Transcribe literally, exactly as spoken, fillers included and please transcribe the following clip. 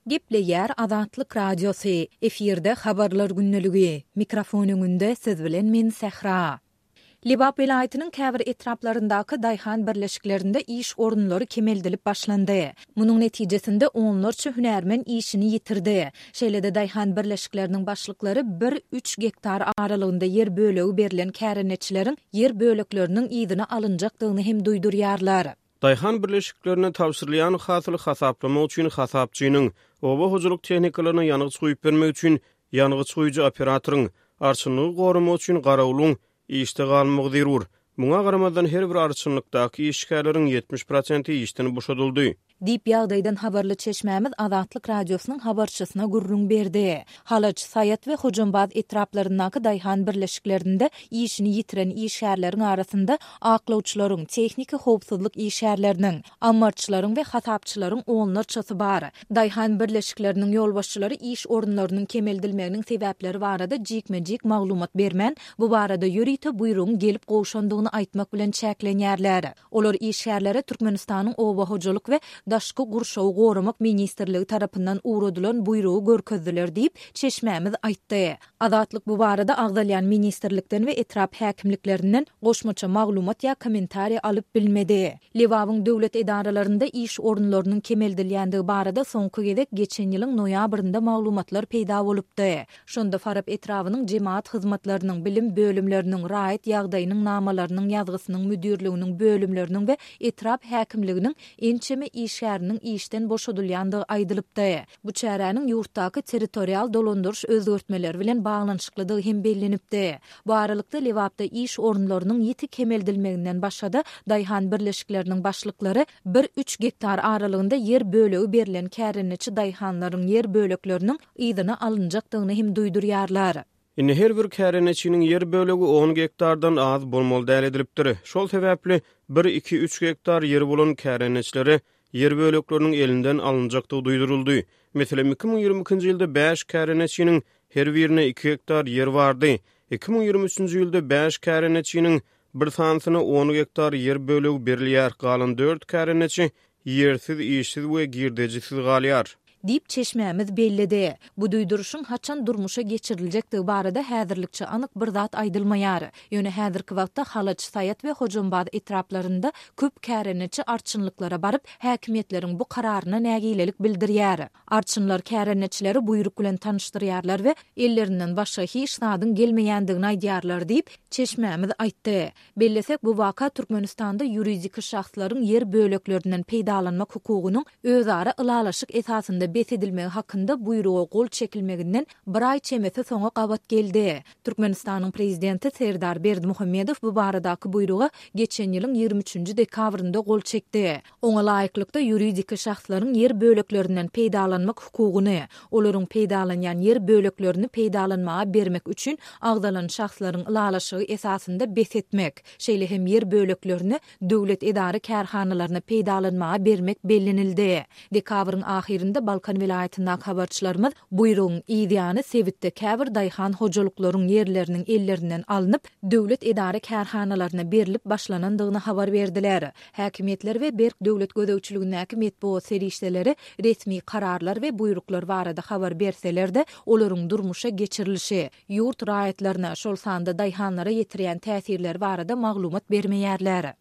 Gepleýär Azatlyk Radiosy, efirde Habarlar gündeligi. Mikrofon öňünde siz bilen men Sähra. Lebap welaýatynyň käbir etraplaryndaky daýhan birleşiklerinde iş orunlary kemeldilip başlandy. Munuň netijesinde onlarça hünärmen işini ýitirdi. Şeýle-de daýhan birleşikleriniň başlyklary bir-üç gektar aralygynda ýer bölegi berlen kärendeçileriň ýer bölekleriniň yzyna alynjakdygyny hem duýdurýarlar. Daýhan birleşiklerine tabşyrylýan hasyly hasaplamak üçin hasapçynyň, oba hojalyk tehnikalaryna ýangyç guýup bermek üçin ýangyç guýujy operatoryň, arçynlygy goramak üçin garawulyň işde galmagy zerur. Muňa garamazdan, her bir arçynlykdaky işgärleriň ýetmiş prosenti işden boşadyldy. Diýip, ýagdaýdan habarly çeşmämiz Azatlyk Radiosynyň habarçysyna gürrüň berdi. Halaç, Saýat we Hojambaz etraplaryndaky daýhan birleşiklerinde işini ýitiren işgärleriň arasynda aklawçylaryň, tehniki howpsuzlyk işgärleriniň, ammarçylaryň we hasapçylaryň onlarçasy bar. Daýhan birleşikleriniň ýolbaşçylary iş orunlarynyň kemeldilmeginiň sebäpleri barada jikme-jik maglumat bermän, bu barada ýörite buýrugyň gelip gowşandygyny aýtmak bilen çäklenýärler. Olar işgärlere Türkmenistanyň Oba hojalyk we daşky gurşawy goramak ministrligi tarapyndan ugradylan buýrugy görkezdiler diýip, çeşmämiz aýtdy. Azatlyk bu barada agzalýan ministrlikden we etrap häkimliklerinden goşmaça maglumat ýa kommentariý alyp bilmedi. Lebabyň döwlet edaralarynda iş orunlarynyň kemeldilýändigi barada soňky gezek geçen ýylyň noýabrynda maglumatlar peýda bolupdy. Şonda Farap etrabynyň jemagat hyzmatlarynyň, bilim bölümleriniň, raýat ýagdaýynyň namalarynyň ýazgysynyň müdirliginiň bölümleriniň we etrap häkimliginiň ençeme işgäriniň işden boşadylýandygy aýdylypdy. Bu çäräniň ýurtdaky territorial dolandyryş özgertmeleri bilen baglanyşyklydygy hem bellenipdi. Bu aralykda, Lebapda iş orunlarynyň ýiti kemeldilmeginden başga-da, daýhan birleşikleriniň başlyklary bir-üç gektar aralygynda ýer bölegi berlen kärendeçi daýhanlaryň ýer bölekleriniň yzyna alynjakdygyny hem duýdurýarlar. Indi her bir kärendeçiniň ýer bölegi on gektardan az bolmaly däl edilipdir. Şol sebäpli bir, iki, üç gektar ýeri bolan kärendeçilere ýer bölekleriniň elinden alynjakdygy duýduryldy. Meselem, iki müň ýigrimi ikinji ýylda bäş kärendeçiniň her birine iki gektar ýer bardy. Iki müň ýigrimi üçünji ýylda bäş kärendeçiniň bir sanysyna on gektar ýer bölegi berilýär, galan dört kärendeçi ýersiz, işsiz we girdejisiz galýar. Diýip, çeşmämiz belledi. Bu duýduryşyň haçan durmuşa geçiriljekdigi barada häzirlikçe anyk bir zat aýdylmaýar. Ýöne häzirki wagtda Halaç, Saýat we Hojambaz etraplarynda köp kärendeçi arçynlyklara baryp, häkimiýetleriň bu kararyna nägilelik bildirýär. Arçynlar kärendeçileri buýruk bilen tanyşdyrýarlar we ellerinden başga hiç zadyň gelmeýändigini aýdýarlar diýip, çeşmämiz aýtdy. Bellesek, bu waka Türkmenistanda ýuridik şahslaryň ýer böleklerinden peýdalanmak hukugynyň özara ylalaşyk esasynda bes edilmegi hakynda buýruga gol çekilmeginden bir aý çemesi soňa gabat geldi. Türkmenistanyň Prezidenti Serdar Berdimuhamedow bu baradaky buýruga geçen ýylyň ýigrimi üçünji dekabrynda gol çekdi. Oňa laýyklykda, ýuridik şahslaryň ýer böleklerinden peýdalanmak hukugyny, olaryň peýdalanýan ýer böleklerini peýdalanmaga bermek üçin agzalan şahslaryň ylalaşygy esasynda bes etmek, şeýle hem ýer böleklerini döwlet edara-kärhanalaryna peýdalanmaga bermek bellenildi. Dekabryň ahyrynda Balkan welaýatyndaky habarçylarymyz buýrugyň yz ýany sebitde käbir daýhan hojalyklaryň ýerleriniň ellerinden alnyp, döwlet edara-kärhanalaryna berlip başlanandygyny habar berdiler. Häkimiýetler we berk döwlet gözegçiligindäki metbugat serişdeleri resmi kararlar we buýruklar barada habar berseler-de, olaryň durmuşa geçirilişi, ýurt raýatlaryna, şol sanda daýhanlara ýetirýän täsirleri barada maglumat bermeýärler.